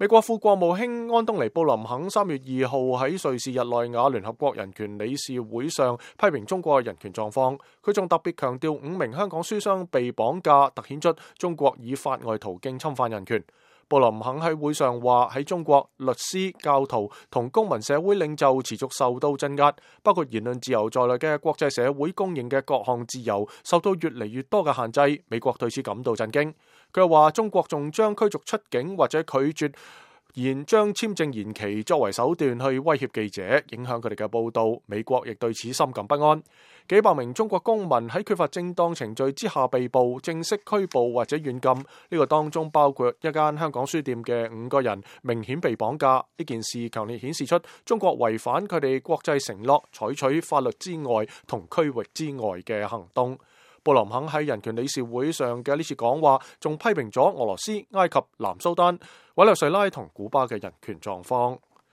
美國副國務卿安東尼布林肯3月2號喺瑞士日內瓦聯合國人權理事會上批評中國嘅人權狀況。佢仲特別強調5名香港書商被綁架，凸顯出中國以法外途徑侵犯人權。布林肯喺會上話，喺中國，律師、教徒同公民社會領袖持續受到鎮壓，包括言論自由在內嘅國際社會公認嘅各項自由受到越嚟越多嘅限制。美國對此感到震驚。佢又話，中國仲將驅逐出境或者拒絕將簽證延期作為手段去威脅記者，影響佢哋嘅報道。美國亦對此深感不安。幾百名中國公民喺缺乏正當程序之下被捕、正式拘捕或者軟禁，呢個當中包括一間香港書店嘅5個人明顯被綁架。呢件事強烈顯示出中國違反佢哋國際承諾，採取法律之外同區域之外嘅行動。布林肯喺人權理事會上嘅呢次講話，仲批評咗俄羅斯、埃及、南蘇丹、委內瑞拉同古巴嘅人權狀況。